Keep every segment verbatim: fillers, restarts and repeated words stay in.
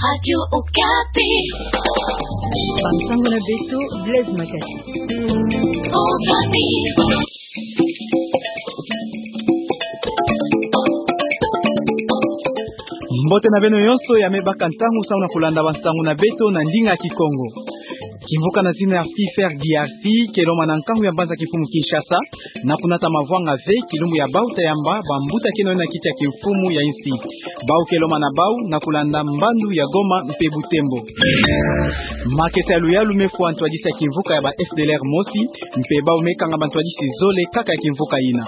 Radio Okapi. Bansango na beto, Blaise Makasi. Okapi. Mbote na beno nyonso, ya me baka ntangu samu na kulanda bansango na beto na ndinga Kikongo. Kimvuka na zina ya FIFER D R C ke lomana nkangu ya mbanza kimfumu Kinshasa na kunata mavwanga ve kilumbu ya bau ta yamba bambuta keno na kiti ya kimfumu ya insi. Bau ke lomana bau na kulanda mbandu ya Goma mpe Butembo. Makesa ya luyalu me fwa ntwadisi ya kimvuka ya ba F D L R mosi, mpe bau me kanga bantwadisi zole kaka ya kimvuka yina.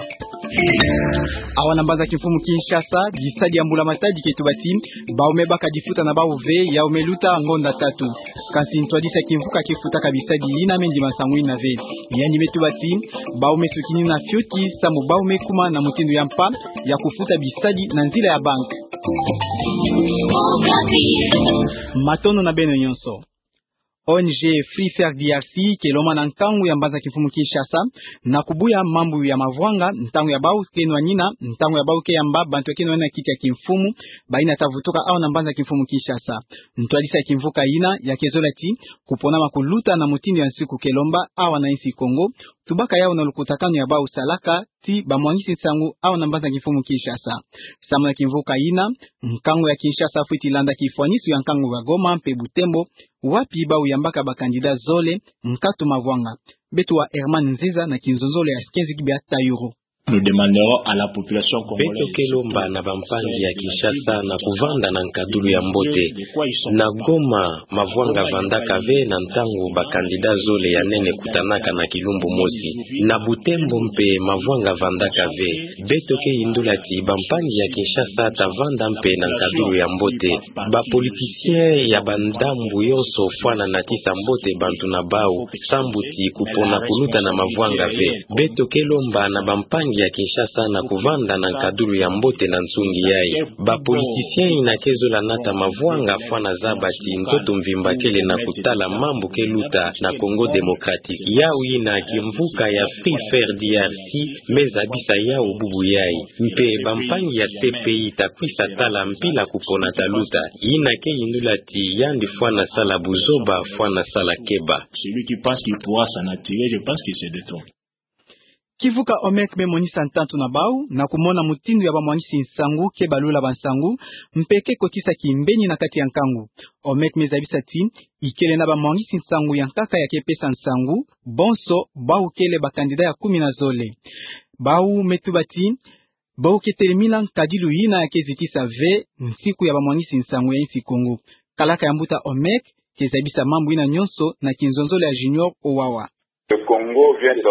Awa na mbanza kimfumu Kinshasa, bisadi ya mbula matadi ke tuba ti bau me baka difuta na bau ve, yau me luta ngonda tatu. Kansi ntwadisi ya kimvuka ke futaka bisadi yina me ndima nsangu yina ve. Yandi me tuba ti bau me sukini na fioti samu bau me kuma na mutindu ya mpa ya kufuta bisadi na nzila ya bank. Matondo na beno nyonso. O N G FIFER D R C ke lomana nkangu ya mbanza kimfumu Kinshasa na kubuya mambu ya mavwanga, ntangu ya bau ke nwanina, ntangu ya bau ke yamba bantu keno na kiti ya kimfumu, bayina ta vutuka awa na mbanza kimfumu Kinshasa. Ntwadisi ya kimvuka yina ya ke zola ti kupona ma kuluta na mutindu ya nsiku ke lomba awa na insi Kongo, tubaka yau na lukutakanu ya bau salaka ti bamwangisi nsangu awa na mbanza kimfumu Kinshasa. Samu na kimvuka yina, nkangu ya Kinshasa fweti landa kifwanisu ya nkangu ya Goma mpe Butembo, wapi bau yambaka bakandida zole nkatu mavwanga. Beto wa Herman Nzeza na kinzonzolo ya Sikenzi Kibia Tayuru. Nous demandons à la population congolaise. Beto ke lomba na bampangi ya Kinshasa na kuvanda na nkadulu ya mbote. Na Goma, mavwanga vandaka ve na ntangu bakandida zole ya nene kutanaka na kilumbu mosi. Na Butembo mpe mavwanga vandaka ve. Beto ke yindula ti bampangi ya Kinshasa ta vanda mpe na nkadulu ya mbote. Bapoliticien ya bandambu yonso fwana na tisa mbote bantu na bau, sambu ti kupona kuluta na mavwanga ve. Beto ke lomba na bampangi ya Kinshasa na kuvanda na nkadulu ya mbote na nsungi yai. Bapoliticien yina ke zola nata mavwanga fwana zaba ti ntoto mvimba kele na kutala mambu ke luta na Congo Démocratique. Yau yina kimvuka ya FIFER D R C me zabisa yau bubu yai. Mpe bampangi ya C P I ta kwisa tala mpila kupona ta luta. Yina ke yindula ti yandi fwana sala buzoba, fwana sala keba. Celui qui pense qu'il pourra s'en attirer, je pense qu'il se détrompe. Kivuka OMEC me monisa ntantu na bau na kumona mutindu ya bamwangisi nsangu ke balula bansangu, mpe ke kotisa kimbeni na kati ya nkangu. OMEC me zabisa ti ikele na bamwangisi nsangu ya nkaka ya ke pesa nsangu, bonso bau kele bakandida ya kumi na zole. Bau me tuba ti bau ke telemina nkadilu yina ya ke zitisa ve nsiku ya bamwangisi nsangu ya insi Kongo. Kalaka ya mbuta OMEC ke zabisa mambu yina nyonso na kinzonzolo ya Junior Owawa.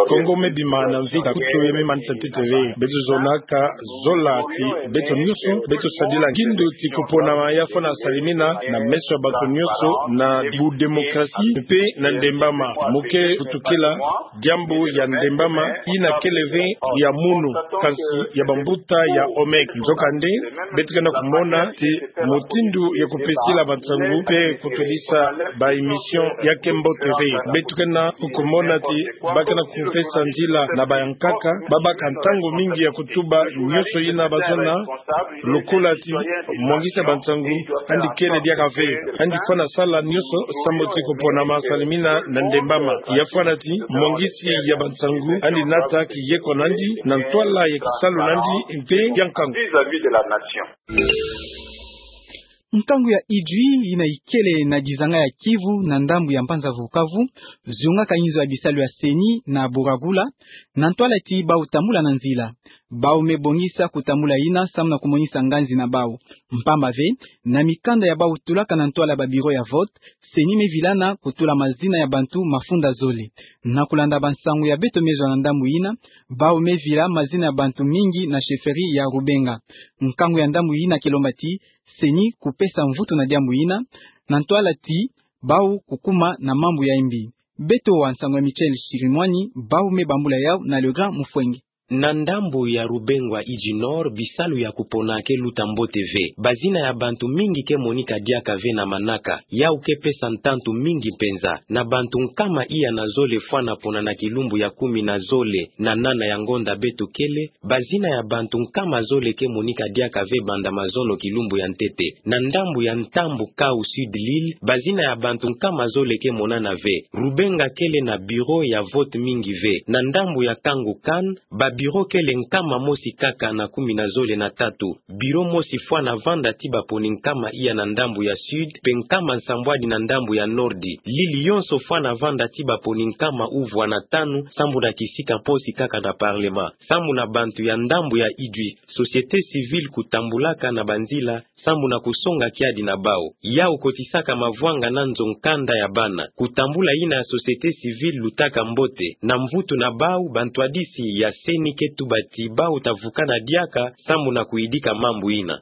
Kongo me bima na mvita kutu ya me manisa ntete ve. Beto zonaka zola ti beto nyonso, beto sadila ngindu ti kuponama ya fwana salimina na meso ya bato nyonso na bu démocratie mpe na ndembama. Mu ke kutukila diambu ya ndembama yina kele ve ya munu, kansi ya bambuta ya OMEC. Nzokande, beto ke na kumona ti mutindu ya kupesila bansangu mpe kutudisa ba émission ya ke mbote ve. Beto ke na kumona ti ba ke na kupesa nzila na bayankaka, ba baka ntangu mingi ya kutuba nyonso yina bazona, lokola ti mwangisi ya bansangu yandi kele diaka ve. Yandi fwana sala nyonso sambu ti kuponama salimina na ndembama. Ya fwana ti mwangisi ya bansangu yandi nata kiyeko na yandi na ntwala ya kisalu na yandi mpe ya nkangu. Nkangu ya Idjwi yina ikele na dizanga ya Kivu na ndambu ya mbanza Vukavu, zungaka inzo ya bisalu ya CENI na Buragula, na ntwala ti bau tambula na nzila. Bau me bongisa kutambula yina samu na kumonisa nganzi na bau. Mpamba ve, na mikanda ya bau tulaka na ntwala ba bureau ya vote, CENI me vilana kutula mazina ya bantu mafunda zole. Na kulanda bansangu ya beto me zwa na ndambu yina, bau me vila mazina ya bantu mingi na chefferie ya Rubenga. Nkangu ya ndambu yina ke lomba ti CENI kupesa mvutu na diambu yina, na ntwala ti bau kukuma na mambu ya mbi. Beto wa nsangu ya Michel Chirimwani, bau me bambula yau na Legrand Mufwenge. Na ndambu ya Rubengwa Idji Nord, bisalu ya kupona ke luta mbote ve. Bazina ya bantu mingi ke monika diaka ve na manaka. Yau ke pesa ntantu mingi mpenza. Na bantu nkama iya na zole fwana pona na kilumbu ya kumi na zole na nana ya ngonda beto kele, bazina ya bantu nkama zole ke monika diaka ve banda mazono kilumbu ya ntete. Na ndambu ya Ntambu Kau, Sud Lille, bazina ya bantu nkama zole ke monana ve. Rubenga kele na bureau ya vote mingi ve. Na ndambu ya Kangu Kan, ba bureau kele nkama mosi kaka na kumi na zole na tatu. Bureau mosi fwana vanda ti baponi nkama iya na ndambu ya Sud, mpe nkama nsambwadi na ndambu ya Nordi. Lille yonso fwana vanda ti baponi nkama uvwa na tanu, sambu na kisika mposi kaka na Parlement. Sambu na bantu ya ndambu ya Idjwi, société civile kutambulaka na banzila, sambu na kusonga kiadi na bau. Yau kotisaka mavwanga na nzo nkanda ya bana. Kutambula yina ya société civile lutaka mbote. Na mvutu na bau, bantwadisi ya CENI ke tuba ti bau ta vukana diaka, sambu na kuyidika mambu yina.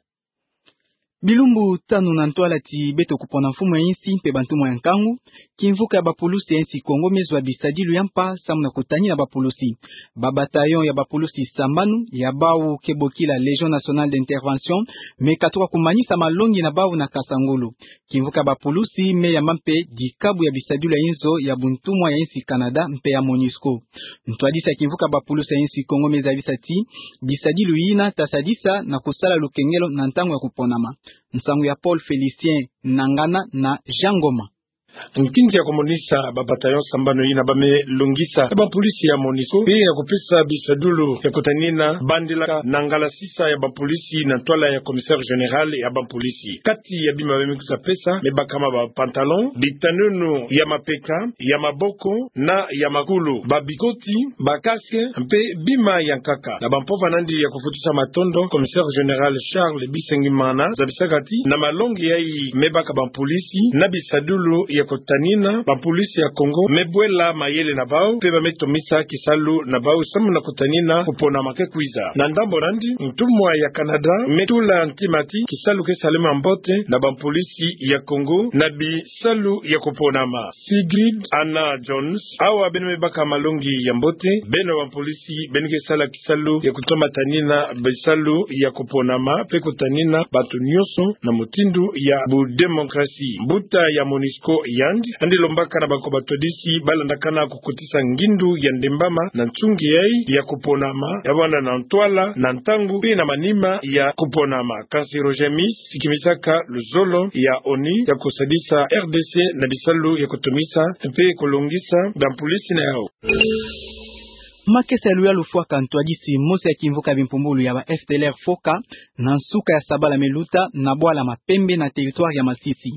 Bilumbu tanu na ntwala ti beto kupona mfumu ya insi mpe bantumwa ya nkangu, kimvuka ya bapulusi ya insi Kongo me zwa bisadilu ya mpa sambu na kutani na bapulusi. Ba bataillon ya bapulusi sambanu, ya bau ke bokila Légion Nationale d'Intervention, me katuka kumanisa malongi na bau na Kasangulu. Kimvuka ya bapulusi me yamba mpe dikabu ya bisadilu ya inzo ya buntumwa ya insi Canada mpe ya MONUSCO. Ntwadisi ya kimvuka ya bapulusi ya insi Kongo me zabisa ti bisadilu yina ta sadisa na kusala lukengelo na ntangu ya kuponama. Nsangu ya Paul Félicien Nangana na Jean Ngoma. Nkinzi ya kumonisa ba bataillon sambanu yina ba me longisa ya bapulusi ya MONUSCO, mpe ya kupesa bisadilu ya kutanina bandilaka na ngala sisa ya bapulusi na ntwala ya commissaire général ya bapulusi. Kati ya bima ba me kwiza pesa, me baka ma ba pantalon, bitanunu ya mapeka, ya maboko, na ya makulu, ba bikoti, ba casque, mpe bima ya nkaka. Na bampova nandi ya kufutisa matondo, commissaire général Charles Bisengimana zabisaka ti na malongi yayi me baka bapulusi na bisadilu ya kutanina bapulusi ya Kongo, me bwela mayele na bau, mpe ba me tomisa kisalu na bau sambu na kutanina kuponama ke kwiza. Na ndambu nandi, ntumwa ya Canada me tula ntima ti kisalu ke salama mbote na bapulusi ya Kongo na bisalu ya kuponama. Sigrid Anna Jones, awa beno me baka malongi ya mbote, beno bapulusi beno ke sala kisalu ya kutomatanina bisalu ya kuponama, mpe kutanina bato nyonso na mutindu ya budemokrasi. Mbuta ya MONUSCO yandi, yandi lombaka na bako batwadisi ba landakana kukotisa ngindu ya ndembama na nsungi yayi ya kuponama, ya banda na ntwala, na ntangu, mpe na manima ya kuponama. Kansi Roger Mis sikimisaka luzolo ya ONU ya kusadisa RDC na bisalu ya kutomisa mpe kulongisa bapulusi na yau. Makesa ya luyalu fwaka ntwadisi mosi ya kimvuka ya bimpumbulu ya ba FDLR foka na nsuka ya sabala me luta na bwala Mapembe na territoire ya Masisi.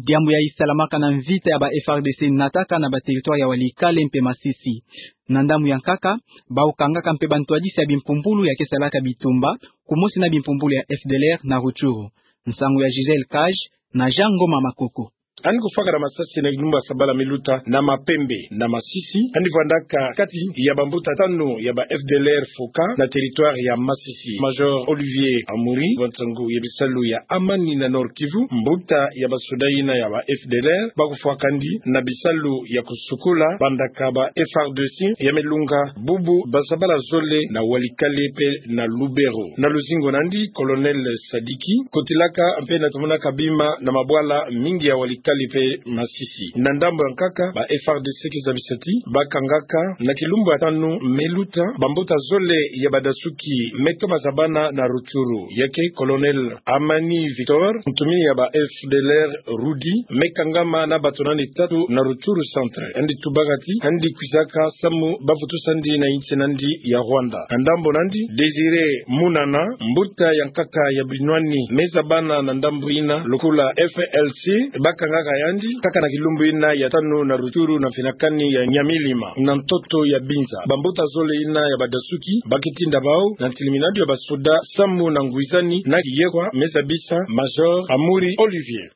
Diambu yayi salamaka na mvita ya ba FARDC nataka na ba territoire ya Walikale mpe Masisi. Na ndambu ya nkaka, bau kangaka mpe bantwadisi ya bimpumbulu ya ke salaka bitumba kumosi na bimpumbulu ya FDLR na Rutshuru. Nsangu ya Gisèle Cage na Jean Ngoma Makoko. Yandi kufwakana masasi na kilumbu ya sabala me luta na Mapembe na Masisi, yandi vwandaka kati ya bambuta tanu ya ba FDLR foka na territoire ya Masisi. Major Olivier Amuri, wa nsangu ya bisalu ya Amani na Nord-Kivu, mbuta ya basoda yina ya ba FDLR, ba kufwakandi na bisalu ya kusukula bandaka ba FARDC ya me lunga bubu ba sabala zole na Walikale mpe na Lubero. Na luzingu nandi, Colonel Sadiki kotilaka mpe na tomonaka bima na mabwala mingi ya Walikale mpe Masisi. Na ndambu ya nkaka, ba FARDC ke zabisa ti ba kangaka na kilumbu ya tanu me luta bambuta zole ya badasuki me toma zabana na Rutshuru. Ya ke Colonel Amani Victor, ntumwa ya ba FDLR Rudi, me kangama na bato nani tatu na Rutshuru Centre. Yandi tubaka ti yandi kwizaka samu ba vutusandi na insi nandi ya Rwanda. Na ndambu nandi, Désiré Munana, mbuta ya nkaka ya binwani me zabana na ndambu yina lokola FLC, ba kangaka yandi kaka na kilumbu yina ya tanu na Rutshuru na mfinakani ya Nyamilima, na ntoto ya Binza. Bambuta zole yina ya badasuki ba ke tinda bau na ntiliminadu ya basoda samu na ngwizani na kiyekwa, me zabisa Major Amuri Olivier.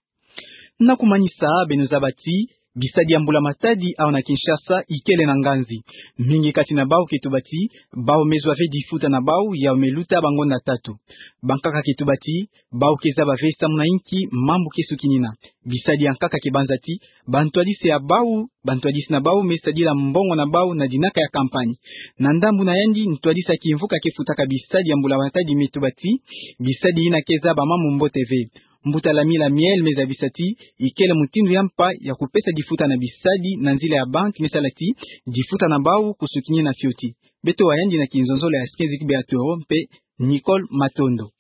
Na kumanisa, beno zaba ti Bisadi ya mbula matadi awa na Kinshasa ikele na nganzi. Mingi kati na bau ke tuba ti bau me zwa ve difuta na bau ya me luta bangonda tatu. Bankaka ke tuba ti bau ke zaba ve samu na inki mambu ke sukinina. Bisadi ya nkaka ke banza ti bantwadisi ya bau, bantwadisi na bau me sadila mbongo na bau na dinaka ya kampani. Na ndambu na yandi, ntwadisi ya kimvuka ke futaka bisadi ya mbula matadi me tuba ti bisadi yina ke zaba mambu mbote ve. Mbuta Lami Lamiel me zabisa ti ikele mutindu ya mpa ya kupesa difuta na bisadi na nzila ya banki me sala ti difuta na bau kusukinina fioti. Beto wa yandi na kinzonzolo ya Skenzi Kibe Atoro mpe Nicole Matondo.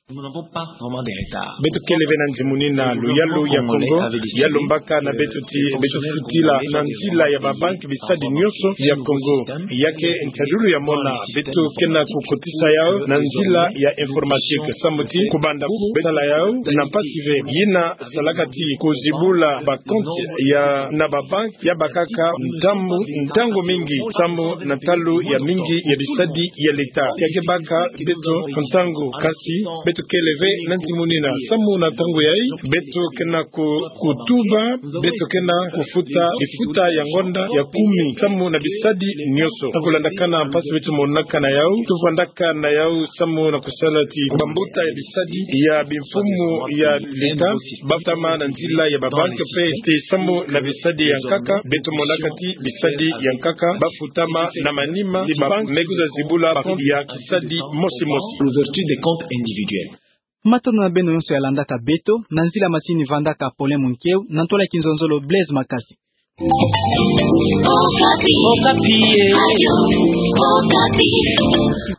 Beto kele ve na nzimunina luyalu ya Kongo, ya lombaka na beto ti beto futila na nzila ya babanki bisadi nioso ya Kongo. Ya ke ntadulu ya mona, beto ke na kukotisa yau na nzila ya informatique samu ti kubanda beto sala yau na mpasi ve. Yina salaka ti kuzibula bakonti ya na babanki ya bakaka ntangu, ntangu mingi samu na ntalu ya mingi ya bisadi ya leta. Ya ke baka beto ntangu, kasi beto kele ve na nzimunina samu na ntangu yai beto ke na ku-, kutuba, beto ke na kufuta difuta ya ngonda ya kumi samu na bisadi nioso. Na kulandakana mpasi beto monaka na yau, tuvwandaka na yau samu na kusala ti bambuta ya bisadi ya bimfumu ya leta bafutama na nzila ya babanki mpe ti samu na bisadi ya nkaka, beto monaka ti bisadi ya nkaka bafutama na manima ti babanki me kwiza zibula bakonti ya kisadi mosi mosi. Ouverture des comptes individuels. Matondo na beno yonso ya landaka beto, na nzila masini vandaka Paulin Munkeu, na ntwala ya kinzonzolo Blaise Makasi. Okapi. Okapi, eh. Radio Okapi.